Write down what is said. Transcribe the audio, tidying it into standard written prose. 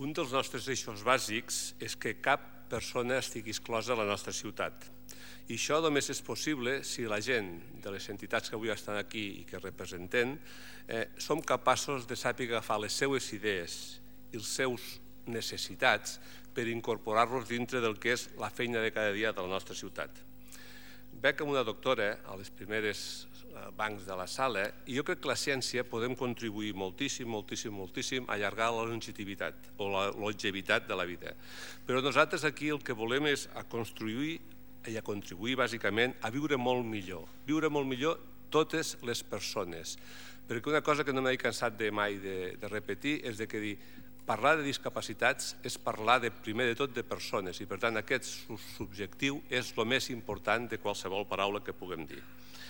Un dels nostres eixos bàsics és que cap persona estigui exclosa a la nostra ciutat. I això només és possible si la gent de les entitats que avui estan aquí i que representem som capaços de saber agafar les seues idees i les seus necessitats per incorporar-los dintre del que és la feina de cada dia de la nostra ciutat. Veig amb una doctora a les primeres bancs de la sala i jo crec que la ciència podem contribuir moltíssim a allargar la longevitat o la longevitat de la vida. Però nosaltres aquí el que volem és a construir i a contribuir bàsicament a viure molt millor totes les persones. Perquè una cosa que no m'he cansat mai de repetir és que dir parlar de discapacitats és parlar primer de tot de persones i per tant aquest subjectiu és el més important de qualsevol paraula que puguem dir.